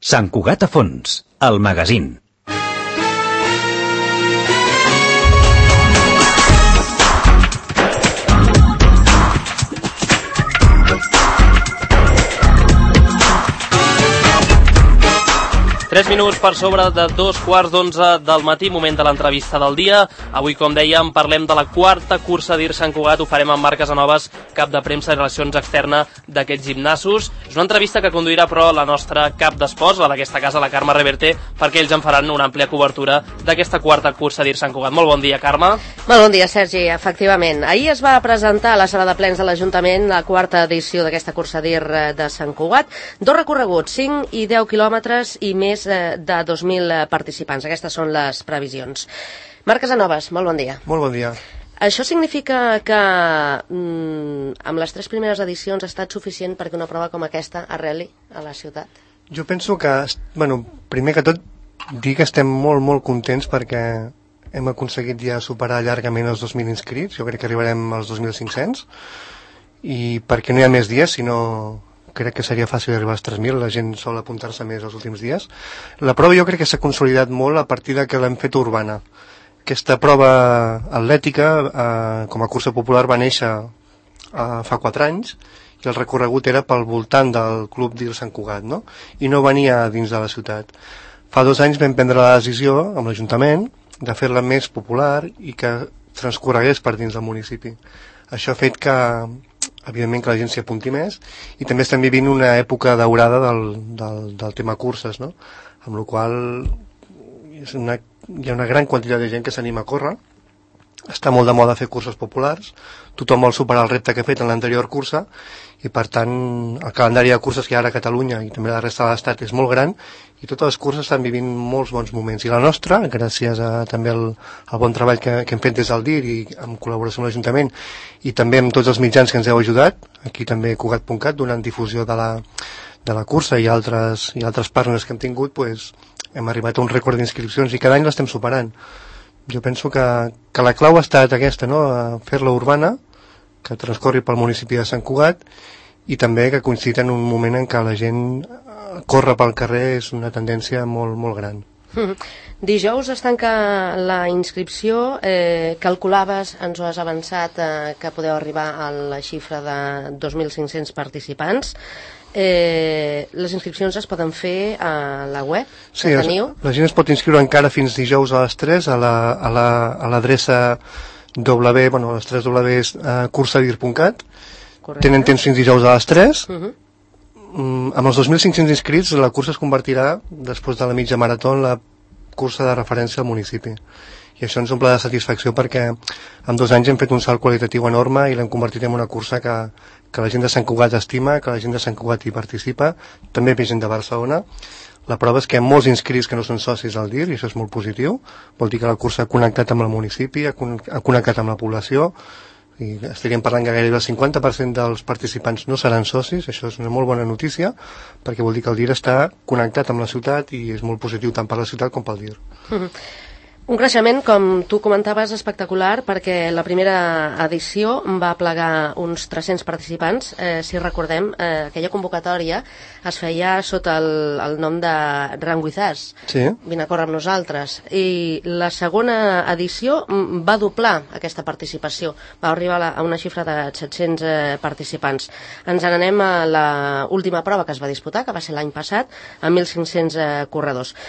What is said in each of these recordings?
Sant Cugat a fons, el magazín. 3 minuts per sobre de 2:15 del matí, moment de l'entrevista del dia. Avui, com dèiem, parlem de la quarta cursa d'IR Sant Cugat. Ho farem amb Marc Casanovas, cap de premsa i relacions externa d'aquests gimnasos. És una entrevista que conduirà, però, la nostra cap d'esports, la d'aquesta casa, la Carme Reverte, perquè ells en faran una àmplia cobertura d'aquesta quarta cursa d'IR Sant Cugat. Molt bon dia, Carme. Molt bon dia, Sergi. Efectivament, ahir es va presentar a la sala de plens de l'Ajuntament la quarta edició d'aquesta cursa d'IR de Sant Cugat. 2 recorreguts, 5 i 10 quilòmetres i més de 2.000 participants. Aquestes són les previsions. Marc Casanovas, molt bon dia. Molt bon dia. Això significa que amb les 3 primeres edicions ha estat suficient perquè una prova com aquesta arreli a la ciutat? Jo penso que, primer que tot, dir que estem molt contents perquè hem aconseguit ja superar llargament els 2.000 inscrits. Jo crec que arribarem als 2.500 i perquè no hi ha més dies, sinó crec que seria fàcil arribar als 3.000, la gent sol apuntar-se més els últims dies. La prova jo crec que s'ha consolidat molt a partir de que l'hem fet urbana. Aquesta prova atlètica, com a cursa popular, va néixer fa 4 anys i el recorregut era pel voltant del club d'IR Sant Cugat, no? I no venia dins de la ciutat. Fa 2 anys vam prendre la decisió amb l'Ajuntament de fer-la més popular i que transcorregués per dins del municipi. Això ha fet que, evidentment, que la gent s'hi apunti més i també estem vivint una època daurada del tema curses, no? Amb la qual hi ha una gran quantitat de gent que s'anima a córrer. Està molt de moda fer curses populars, tothom vol superar el repte que ha fet en l'anterior cursa i, per tant, el calendari de curses que hi ha ara a Catalunya i també a la resta de l'Estat és molt gran i totes les curses estan vivint molts bons moments. I la nostra, gràcies a també al bon treball que hem fet des del DIR i en col·laboració amb l'Ajuntament i també amb tots els mitjans que ens heu ajudat, aquí també Cugat.cat, donant difusió de la cursa i altres partners que hem tingut, hem arribat a un rècord d'inscripcions i cada any l'estem superant. Jo penso que la clau ha estat aquesta, no? Fer-la urbana, que transcorri pel municipi de Sant Cugat i també que coincidit en un moment en què la gent corre pel carrer és una tendència molt gran. Dijous es tanca la inscripció, calculaves, ens ho has avançat, que podeu arribar a la xifra de 2.500 participants. Les inscripcions es poden fer a la web que teniu? Sí, la gent es pot inscriure encara fins dijous a les 3 a l'adreça les 3 Ws cursadir.cat. Tenen temps fins dijous a les 3. Amb els 2.500 inscrits la cursa es convertirà, després de la mitja marató, en la cursa de referència al municipi. I això ens omple de satisfacció perquè en 2 anys hem fet un salt qualitatiu enorme i l'hem convertit en una cursa que la gent de Sant Cugat estima, que la gent de Sant Cugat hi participa, també hi ha gent de Barcelona. La prova és que hi ha molts inscrits que no són socis al DIR i això és molt positiu. Vol dir que la cursa ha connectat amb el municipi, ha connectat amb la població i estaríem parlant que gairebé el 50% dels participants no seran socis. Això és una molt bona notícia perquè vol dir que el DIR està connectat amb la ciutat i és molt positiu tant per la ciutat com pel DIR. Un creixement, com tu comentaves, espectacular, perquè la primera edició va plegar uns 300 participants. Si recordem, aquella convocatòria es feia sota el nom de Run With Us. Sí. Vine a córrer amb nosaltres. I la segona edició va doblar aquesta participació. Va arribar a una xifra de 700 participants. Ens n'anem a l'última prova que es va disputar, que va ser l'any passat, amb 1.500 corredors.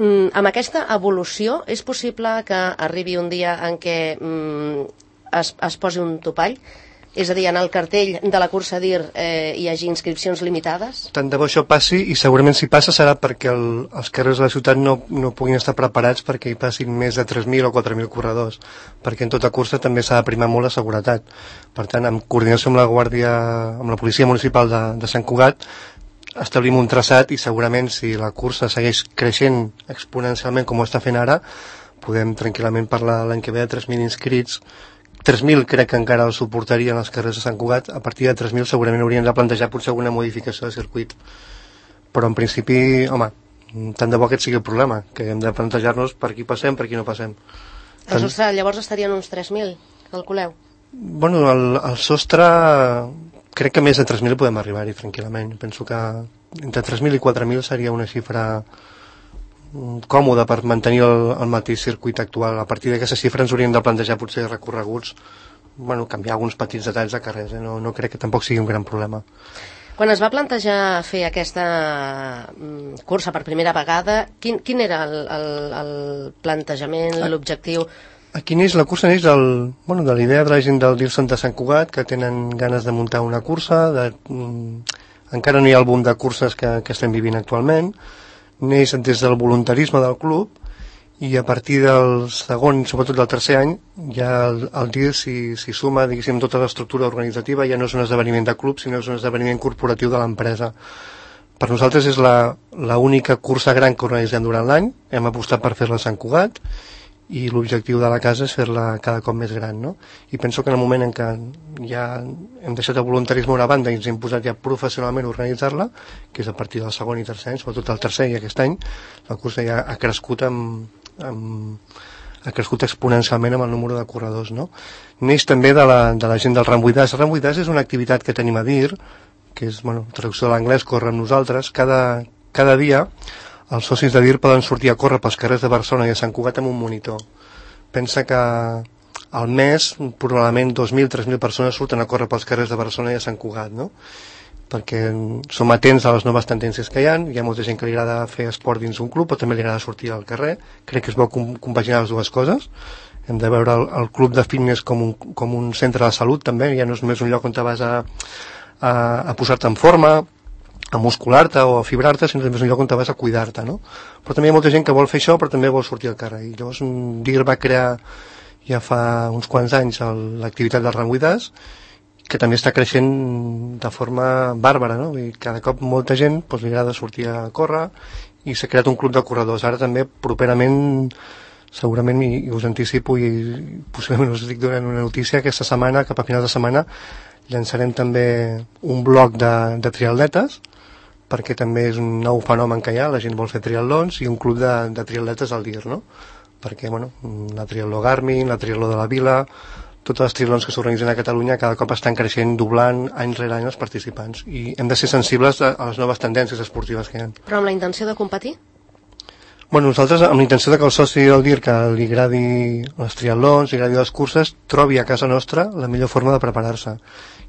Amb aquesta evolució és possible que arribi un dia en què es posi un topall? És a dir, en el cartell de la cursa d'IR hi hagi inscripcions limitades? Tant de bo això passi i segurament si passa serà perquè els carrers de la ciutat no puguin estar preparats perquè hi passin més de 3.000 o 4.000 corredors, perquè en tota cursa també s'ha de primar molt la seguretat. Per tant, en coordinació amb la policia municipal de Sant Cugat, establim un traçat i segurament si la cursa segueix creixent exponencialment com ho està fent ara, podem tranquil·lament parlar l'any que ve de 3.000 inscrits. 3.000 crec que encara els suportarien els carrers de Sant Cugat. A partir de 3.000 segurament hauríem de plantejar potser alguna modificació de circuit. Però en principi, home, tant de bo aquest sigui el problema, que hem de plantejar-nos per qui passem, per qui no passem. El sostre llavors estarien uns 3.000, calculeu? Bueno, el sostre crec que més de 3.000 podem arribar-hi tranquil·lament. Penso que entre 3.000 i 4.000 seria una xifra còmoda per mantenir el mateix circuit actual. A partir d'aquesta xifra ens hauríem de plantejar potser recorreguts, canviar alguns petits detalls de carrers, no crec que tampoc sigui un gran problema. Quan es va plantejar fer aquesta cursa per primera vegada, quin era el plantejament, l'objectiu? Aquí la cursa neix de la idea de la gent del Dirson de Sant Cugat, que tenen ganes de muntar una cursa, encara no hi ha el boom de curses que estem vivint actualment, neix des del voluntarisme del club, i a partir del segon, sobretot del tercer any, ja el DIR s'hi suma, diguéssim, tota l'estructura organitzativa, ja no és un esdeveniment de club, sinó és un esdeveniment corporatiu de l'empresa. Per nosaltres és l'única cursa gran que organitzem durant l'any, hem apostat per fer-la a Sant Cugat, i l'objectiu de la casa és fer-la cada cop més gran, no? I penso que en el moment en què ja hem deixat el voluntarisme a una banda i ens hem posat ja professionalment a organitzar-la, que és a partir del segon i tercer any, sobretot el tercer i aquest any, la cursa ja ha crescut ha crescut exponencialment amb el número de corredors, no? Neix també de la gent del Run With Us. El Run With Us és una activitat que tenim a DIR, que és, traducció de l'anglès, córrer amb nosaltres. Cada dia els socis de DIR poden sortir a córrer pels carrers de Barcelona i a Sant Cugat amb un monitor. Pensa que al mes probablement 2.000-3.000 persones surten a córrer pels carrers de Barcelona i a Sant Cugat, no? Perquè som atents a les noves tendències que hi ha molta gent que li agrada fer esport dins un club, però també li agrada sortir al carrer. Crec que és bo compaginar les dues coses. Hem de veure el club de fitness com un centre de salut també, ja no és només un lloc on te vas a posar-te en forma, a muscular-te o a fibrar-te, sinó també és un lloc on te vas a cuidar-te, no? Però també hi ha molta gent que vol fer això, però també vol sortir al carrer. I llavors DIR va crear ja fa uns quants anys l'activitat del Run With Us, que també està creixent de forma bàrbara, no? I cada cop molta gent li agrada sortir a córrer i s'ha creat un club de corredors. Ara també properament, segurament, i us anticipo i possiblement us dic donant una notícia, aquesta setmana, cap a final de setmana, llançarem també un blog de triatletes, perquè també és un nou fenomen que hi ha, la gent vol fer triatlons, i un club de triatletes al DIR, no? Perquè, la triatló Garmin, la triatló de la Vila, totes les triatlons que s'organitzen a Catalunya cada cop estan creixent, doblant any rere any els participants, i hem de ser sensibles a les noves tendències esportives que hi ha. Però amb la intenció de competir? Nosaltres amb la intenció de que el soci del DIR que li agradi els triatlons, li agradi les curses, trobi a casa nostra la millor forma de preparar-se.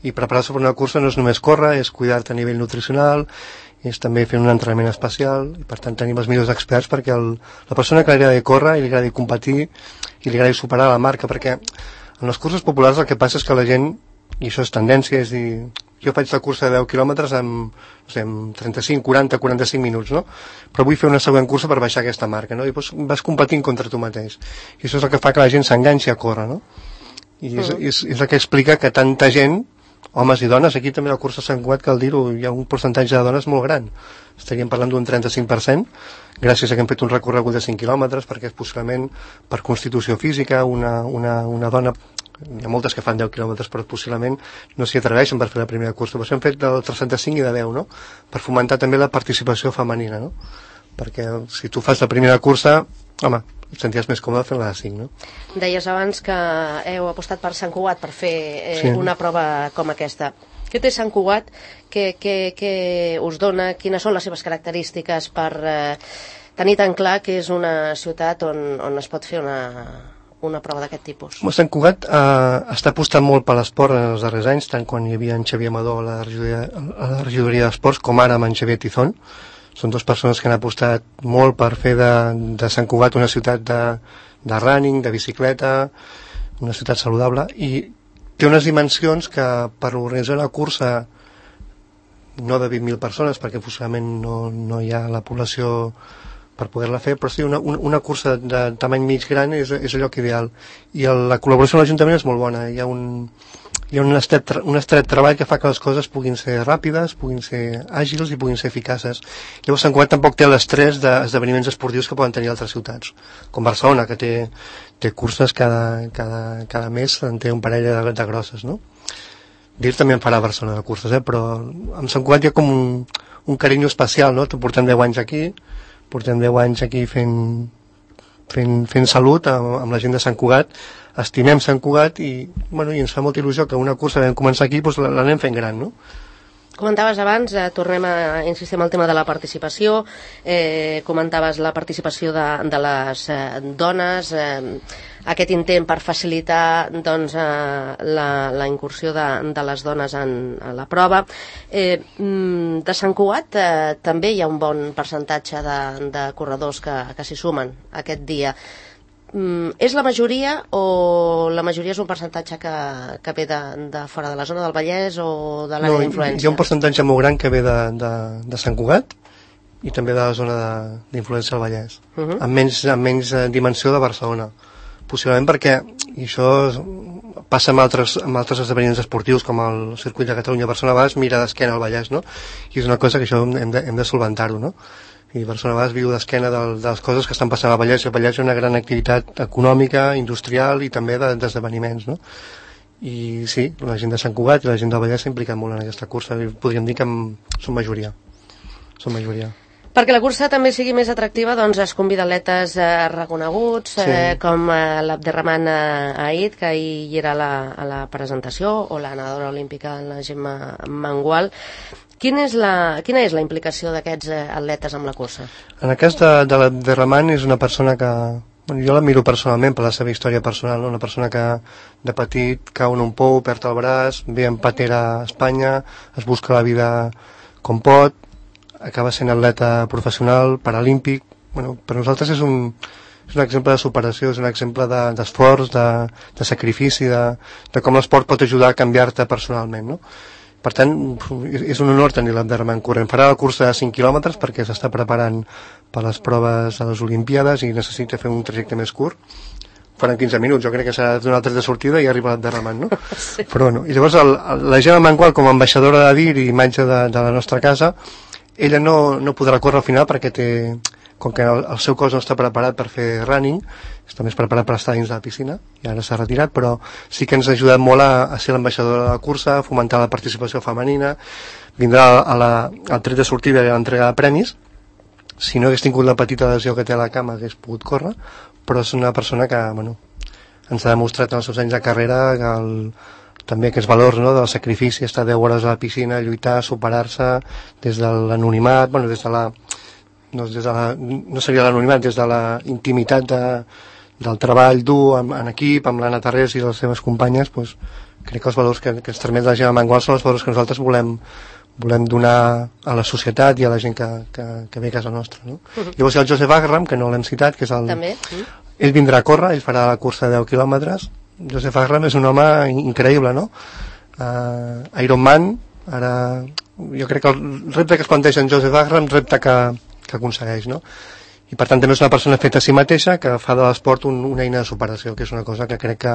I preparar-se per una cursa no és només córrer, és cuidar-te a nivell nutricional, és també fer un entrenament especial, i per tant tenim els millors experts perquè la persona que li agradi córrer i li agradi competir i li agradi superar la marca, perquè en les curses populars el que passa és que la gent, i això és tendència, és dir, jo faig la cursa de 10 quilòmetres amb 35, 40, 45 minuts, no? Però vull fer una següent cursa per baixar aquesta marca, no? I vas competint contra tu mateix. I això és el que fa que la gent s'enganxi a córrer, no? I és el que explica que tanta gent, homes i dones, aquí també a la cursa Sant Cugat, cal dir-ho, hi ha un percentatge de dones molt gran. Estaríem parlant d'un 35%, gràcies a que hem fet un recorregut de 5 quilòmetres, perquè és possiblement per constitució física, una dona, hi ha moltes que fan 10 quilòmetres, però possiblement no s'hi atreveixen per fer la primera cursa. Però hem fet del 35 i de 10, no? Per fomentar també la participació femenina, no? Perquè si tu fas la primera cursa, home, et senties més còmode fent-la de 5, no? Deies abans que heu apostat per Sant Cugat per fer una prova com aquesta. Què té Sant Cugat? Què us dona? Quines són les seves característiques per tenir tan clar que és una ciutat on es pot fer una prova d'aquest tipus? Sant Cugat està apostant molt per l'esport en els darrers anys, tant quan hi havia en Xavier Amador a la regidoria d'esports, com ara amb en Xavier Tizón. Són dues persones que han apostat molt per fer de Sant Cugat una ciutat de running, de bicicleta, una ciutat saludable, i té unes dimensions que per organitzar una cursa no de 20.000 persones, perquè possiblement no hi ha la població per poder-la fer, però sí, una cursa de tamany mig gran és allò que ideal. I la col·laboració amb l'Ajuntament és molt bona. Hi ha un estret treball que fa que les coses puguin ser ràpides, puguin ser àgils i puguin ser eficaces. Llavors Sant Cugat tampoc té l'estrès d'esdeveniments esportius que poden tenir altres ciutats, com Barcelona, que té curses cada mes, en té un parell de grosses, no? DIR també en farà a Barcelona de curses, però amb Sant Cugat hi ha com un carinyo especial, no? Portem 10 anys aquí fent salut amb la gent de Sant Cugat, estimem Sant Cugat i ens fa molta il·lusió que una cursa que vam començar aquí l'anem fent gran, no? Comentaves abans, tornem a insistir en el tema de la participació, comentaves la participació de les dones, aquest intent per facilitar doncs, la incursió de les dones en la prova. De Sant Cugat també hi ha un bon percentatge de corredors que s'hi sumen aquest dia. És la majoria o la majoria és un percentatge que ve de fora de la zona del Vallès o de l'àrea d'influència? Hi ha un percentatge molt gran que ve de Sant Cugat i també de la zona d'influència del Vallès, amb menys dimensió de Barcelona. Possiblement perquè, i això passa amb altres esdeveniments esportius com el circuit de Catalunya-Barcelona, a vegades mira d'esquena al Vallès, no? I és una cosa que això hem de solventar-ho, no? I Barcelona a vegades viu d'esquena de les coses que estan passant al Vallès, i el Vallès és una gran activitat econòmica, industrial i també d'esdeveniments, no? I sí, la gent de Sant Cugat i la gent del Vallès s'ha implicat molt en aquesta cursa, i podríem dir que són majoria. Perquè la cursa també sigui més atractiva, doncs es convida atletes reconeguts, com l'Abderrahman Aït, que ahir hi era a la presentació, o la nedadora olímpica, la Gemma Mangual. Quina és la implicació d'aquests atletes amb la cursa? En el cas de l'Abderrahman és una persona que... Jo l'admiro personalment per la seva història personal, no? Una persona que de petit cau en un pou, perd el braç, ve en patera a Espanya, es busca la vida com pot, acaba sent atleta professional, paralímpic. Bueno, per nosaltres és un exemple de superació, és un exemple d'esforç, de sacrifici, de com l'esport pot ajudar a canviar-te personalment, no? Per tant, és un honor tenir l'Abderrahman corrent. Farà la cursa de 5 quilòmetres perquè s'està preparant per les proves a les Olimpíades i necessita fer un trajecte més curt. Faran 15 minuts, jo crec que serà donar el tret de sortida i arriba l'Abderrahman, no? Sí. Però bueno, i llavors la Gemma Mangual, com a ambaixadora de DIR i imatge de la nostra casa, ella no podrà córrer al final perquè com que el seu cos no està preparat per fer running, està més preparat per estar dins de la piscina, i ara s'ha retirat, però sí que ens ha ajudat molt a ser l'ambaixadora de la cursa, a fomentar la participació femenina, vindrà al tret de sortida i a l'entrega de premis. Si no hagués tingut la petita lesió que té a la cama hagués pogut córrer, però és una persona que ens ha demostrat en els seus anys de carrera també aquests valors, no?, del sacrifici, estar 10 hores a la piscina, lluitar, superar-se des de l'anonimat, no seria l'anonimat, des de la intimitat del treball dur en equip, amb l'Anna Tarrés i les seves companyes, doncs, crec que els valors que ens transmet la Gemma Mangual són els valors que nosaltres volem donar a la societat i a la gent que ve a casa nostra, no? Llavors hi ha el Joseph Agram, que no l'hem citat, que és també. Ell vindrà a córrer, ell farà la cursa de 10 quilòmetres. Joseph Agram és un home increïble, no? Ironman, ara jo crec que el repte que es planteja en Joseph Agram, repte que aconsegueix, no? I per tant també és una persona feta a si mateixa que fa de l'esport una eina de superació, que és una cosa que crec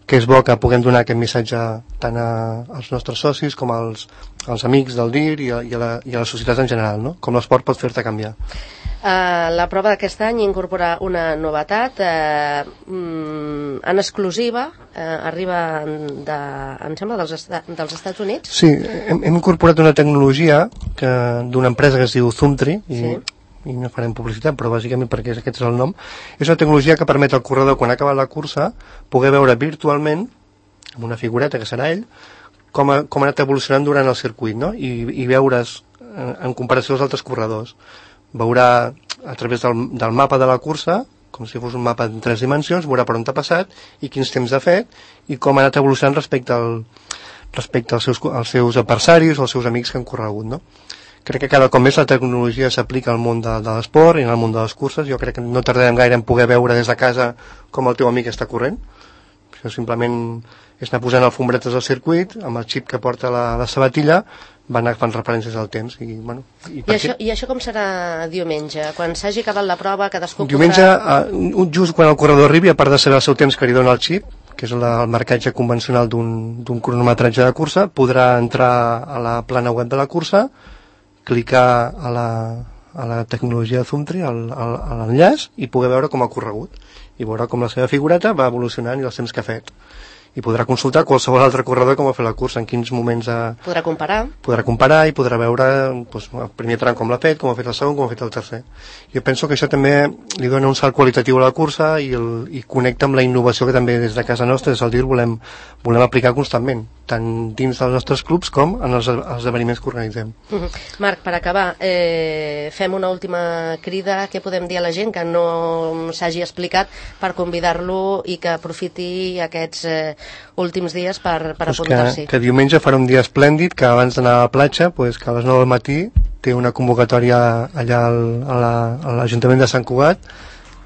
que és bo que puguem donar aquest missatge tant als nostres socis com als amics del DIR i a la societat en general, no? Com l'esport pot fer-te canviar. La prova d'aquest any incorpora una novetat en exclusiva, arriba em sembla dels Estats Units. Sí, hem incorporat una tecnologia d'una empresa que es diu Zoomtree i no farem publicitat, però bàsicament perquè aquest és el nom. És una tecnologia que permet al corredor, quan ha acabat la cursa, poder veure virtualment, amb una figureta que serà ell, com ha anat evolucionant durant el circuit, no? I veure's en comparació als altres corredors. Veurà a través del mapa de la cursa, com si fos un mapa en 3 dimensions, veurà per on t'ha passat i quins temps ha fet i com ha anat evolucionant respecte als seus adversaris o als seus amics que han corregut, no? Crec que cada cop més la tecnologia s'aplica al món de l'esport i al món de les curses. Jo crec que no tardarem gaire en poder veure des de casa com el teu amic està corrent. Això simplement és anar posant alfombretes al circuit, amb el xip que porta la sabatilla, va anar fent referències al temps. I això com serà diumenge? Quan s'hagi acabat la prova, cadascú diumenge, just quan el corredor arribi, a part de saber el seu temps que li dona el xip, que és el marcatge convencional d'un cronometratge de cursa, podrà entrar a la plana web de la cursa, clicar a la tecnologia de Zoomtree, a l'enllaç, i poder veure com ha corregut. I veurà com la seva figureta va evolucionant i els temps que ha fet. I podrà consultar qualsevol altre corredor com ha fet la cursa, en quins moments Podrà comparar i podrà veure el primer tram com l'ha fet, com ha fet el segon, com ha fet el tercer. Jo penso que això també li dona un salt qualitatiu a la cursa i connecta amb la innovació que també des de casa nostra, des del DIR, volem aplicar constantment. tant dins dels nostres clubs com en els esdeveniments que organitzem. Marc, per acabar, fem una última crida. Què podem dir a la gent que no s'hagi explicat per convidar-lo i que aprofiti aquests últims dies per apuntar-s'hi? Que diumenge farà un dia esplèndid, que abans d'anar a la platja, que a les 9 del matí té una convocatòria allà a l'Ajuntament de Sant Cugat,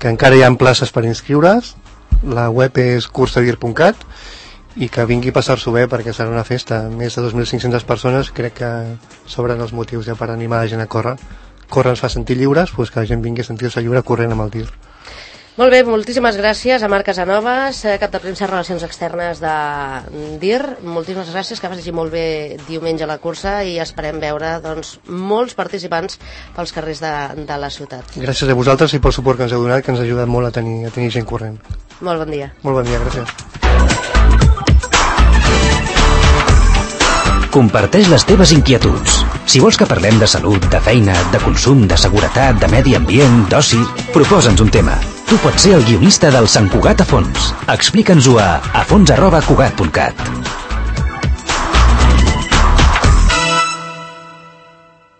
que encara hi ha places per inscriure's. La web és cursadir.cat i que vingui a passar-s'ho bé perquè serà una festa. Més de 2.500 persones, crec que sobren els motius ja per animar la gent a córrer. Córrer ens fa sentir lliures, doncs que la gent vingui a sentir-se lliure corrent amb el DIR. Molt bé, moltíssimes gràcies a Marc Casanovas, cap de premsa i relacions externes de DIR. Moltíssimes gràcies, que vagi molt bé diumenge a la cursa i esperem veure molts participants pels carrers de la ciutat. Gràcies a vosaltres i pel suport que ens heu donat, que ens ha ajudat molt a tenir gent corrent. Molt bon dia. Molt bon dia, gràcies. Comparteix les teves inquietuds. Si vols que parlem de salut, de feina, de consum, de seguretat, de medi ambient, d'oci, proposa'ns un tema. Tu pots ser el guionista del Sant Cugat a fons. Explica'ns-ho a fons@cugat.cat.